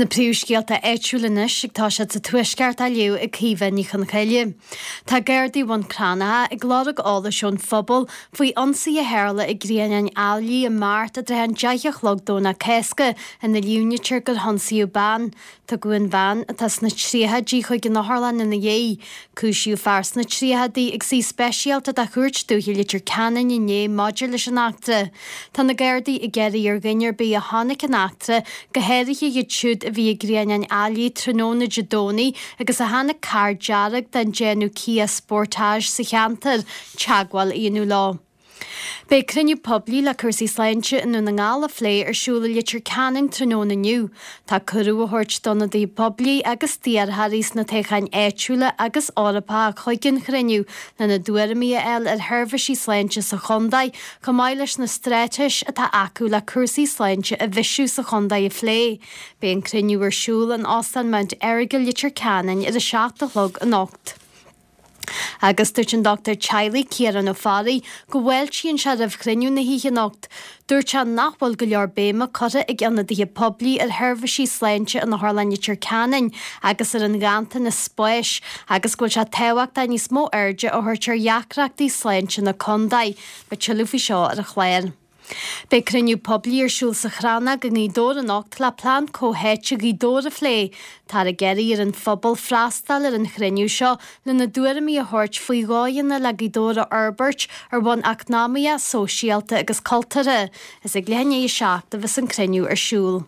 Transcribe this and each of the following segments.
Na príomhscéalta áitiúla anois ag toiseacht sa Tuaisceart á léamh ag Caoimhe Ní Chonchoille. Tá Gardaí Bhun Cranncha ag lorg eolais ón phobal faoi ionsaí a tharla i gCrianán Ailigh i Mart i dtrátha an 10 a chlog Domhnach Cásca ina líomhnaítear gur hionsaíodh bean. Tugadh an bhean, atá sna tríochaidí, chuig an otharlann ina dhiaidh. Cúisíodh fear sna tríochaidí ag suí speisialta de Chúirt Dúiche Leitir Ceanainn inné maidir leis an eachtra. Tá na Gardaí ag iarraidh ar dhuine ar bith a chonaic an eachtra, go háirithe iad siúd a bhí i gCrianán Ailigh tráthnóna Dé Domhnaigh agus a chonaic carr dearg den déanamh Kia Sportage sa cheantar, teagmháil a dhéanamh leo. Beidh cruinniú poiblí le cúrsaí sláinte i nDún na nGall a phlé ar siúl i Leitir Ceanainn tráthnóna inniu. Tá cuireadh á thabhairt d'ionadaithe poiblí agus d'iarrthóirí sna toghcháin áitiúla agus Eorpacha chuig an chruinniú lena dtuairimí a fháil ar sheirbhísí sláinte sa chontae chomh maith leis na straitéis atá acu le cúrsaí sláinte a bhisiú sa chontae a phlé. Beidh an cruinniú ar siúl in Óstán Mount Errigal Leitir Ceanainn ar a 7 a chlog anocht. Agus dúirt an dochtúir teaghlaigh Ciarán Ó Fearraigh go bhfáiltíonn sé roimh chruinniú na hoíche anocht. Dúirt sé nach bhfuil go leor béime curtha ag ionadaithe poiblí ar sheirbhísí sláinte in Otharlann Leitir Ceanainn agus ar an ghanntanas spáis agus go bhfuil sé tábhachtach níos mó airde a thabhairt ar dheacrachtaí sláinte na contae. Beidh tuilleadh faoi seo ar an chlár. Beidh cruinniú poiblí ar siúl sa Chrannóg i nGaoth Dobhair anocht le plean comhtháite Ghaoth Dobhair a phlé. Táthar ag iarraidh ar an phobal freastal ar an chruinniú seo lena dtuairimí a thabhairt faoi dhóigheanna le Gaoth Dobhair a fhorbairt ar bhonn eacnamaíoch, sóisialta agus cultúrtha. Is ag leath i ndiaidh 7 a bheas an cruinniú ar siúl.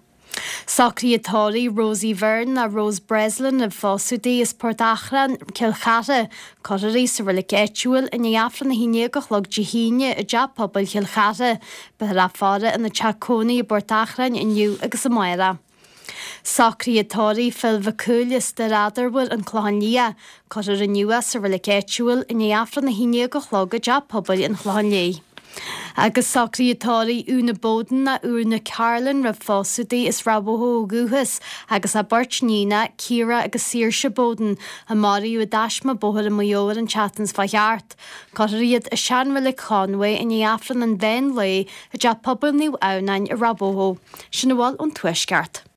Socruithe tórraimh Rosie Byrne ná Rose Breslin roimh phósadh di as Port Achrann, Cill Chartha. Cuirfear í sa reilig áitiúil i ndiaidh Aifreann 11 a chlog Dé hAoine i dTeach Pobail Chill Chartha. Beifear á faire ina teach cónaí i bPort Achrann inniu agus amárach. Socruithe tórraimh Phil Mhic Cumhaill as Doire Eadarbhair, An Clochán Liath. Cuirfear inniu é sa reilig áitiúil i ndiaidh Aifreann 11 a chlog i dTeach Pobail an Chlocháin Léith. Agus socruithe tórraimh Úna Bowden ná Úna Carlin roimh phósadh di as Ráth Bhoth ó dhúchas agus a beirt níonacha, Ciara agus Saoirse Bowden, a maraíodh i dtaisme bóthair i Maigh Eo ar an tseachtain seo thart. Cuirfear iad i seanreilig Chonway i ndiaidh Aifreann an mheán lae i dTeach Pobail Naomh Adhamhnáin i Ráth Bhoth. Sin a bhfuil ón Tuaisceart.